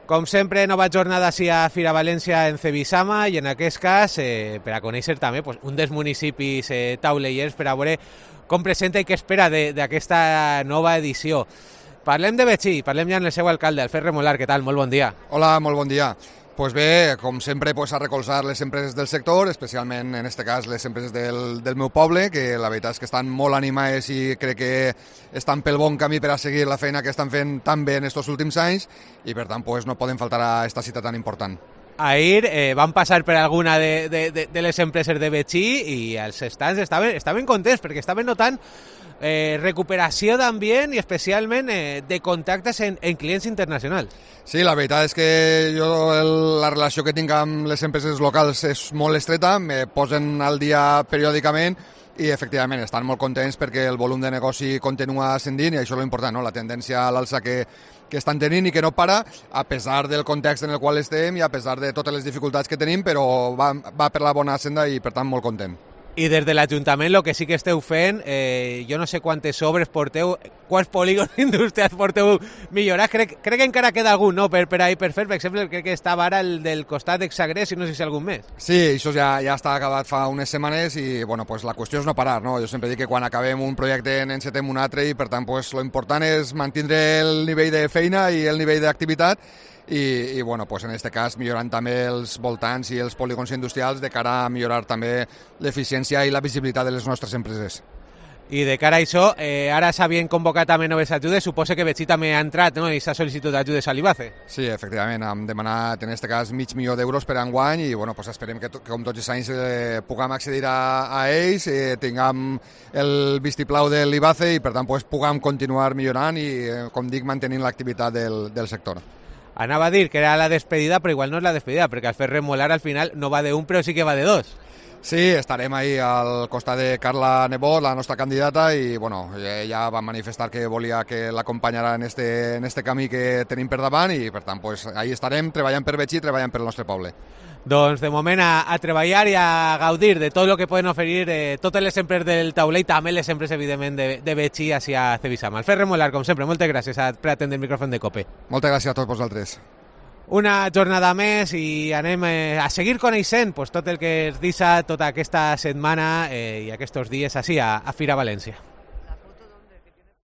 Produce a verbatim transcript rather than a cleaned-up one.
Com sempre, nova jornada així a Fira València en Cebisama i en aquest cas eh, per a conèixer també pues, un dels municipis eh, taulellers per a veure com presenta i què espera d'aquesta nova edició. Parlem de Betxí, parlem ja amb el seu alcalde, el Ferre Molar. Què tal? Molt bon dia. Hola, molt bon dia. Pues bé, com sempre, pues, a recolzar les empreses del sector, especialment en aquest cas les empreses del, del meu poble, que la veritat és que estan molt animades i crec que estan pel bon camí per a seguir la feina que estan fent tan bé en aquests últims anys i per tant pues, no poden faltar a aquesta cita tan important. Ahir eh, van passar per alguna de, de, de, de les empreses de Betxí i els stands estaven, estaven contents perquè estaven notant eh, recuperació d'ambient i especialment eh, de contactes en, en clients internacionals. Sí, la veritat és que jo el, la relació que tinc amb les empreses locals és molt estreta, me posen al dia periòdicament i efectivament estan molt contents perquè el volum de negoci continua ascendint i això és l'important, no? La tendència a l'alça que, que estan tenint i que no para, a pesar del context en el qual estem i a pesar de totes les dificultats que tenim, però va, va per la bona senda i per tant molt content. I des de l'Ajuntament el que sí que esteu fent, eh, jo no sé quantes obres porteu, quants polígons industrials porteu millorats, crec, crec que encara queda algun, no?, per, per ahir per fer, per exemple, crec que estava ara el del costat d'Exagrés i no sé si algun més. Sí, això ja, ja està acabat fa unes setmanes i bueno, pues, la qüestió és no parar, no? Jo sempre dic que quan acabem un projecte n'encetem un altre i per tant pues, lo important és mantenir el nivell de feina i el nivell d'activitat i, i bueno, pues en aquest cas millorant també els voltants i els polígons industrials de cara a millorar també l'eficiència i la visibilitat de les nostres empreses. I de cara a això, eh, ara s'havien convocat també noves ajudes, suposo que Betxí també ha entrat, no?, i s'ha sol·licitud d'ajudes a l'IBACE. Sí, efectivament, hem demanat en aquest cas mig milió d'euros per enguany i bueno, pues esperem que, que com tots els anys eh, puguem accedir a, a ells, eh, tinguem el vistiplau de l'IBACE i per tant pues, puguem continuar millorant i, eh, com dic, mantenint l'activitat del, del sector. Anava a dir que era la despedida, però igual no és la despedida, perquè el Ferre Molar al final no va de un, però sí que va de dos. Sí, estarem ahí al costat de Carla Nebot, la nostra candidata, i bueno, ella va manifestar que volia que l'acompanyarà en este, en este camí que tenim per davant i per tant, pues, ahí estarem treballant per Betxí i treballant per el nostre poble. Doncs de moment a, a treballar i a gaudir de tot el que poden oferir eh, totes les empreses del tauler i també les empreses, evidentment, de, de Betxí hacia Cebisama. El Ferre Molar, com sempre, moltes gràcies a, per atendre el micròfon de COPE. Moltes gràcies a tots vosaltres. Una jornada més i anem eh, a seguir coneixent pues, tot el que es deixa tota aquesta setmana eh, i aquests dies així a, a Fira València.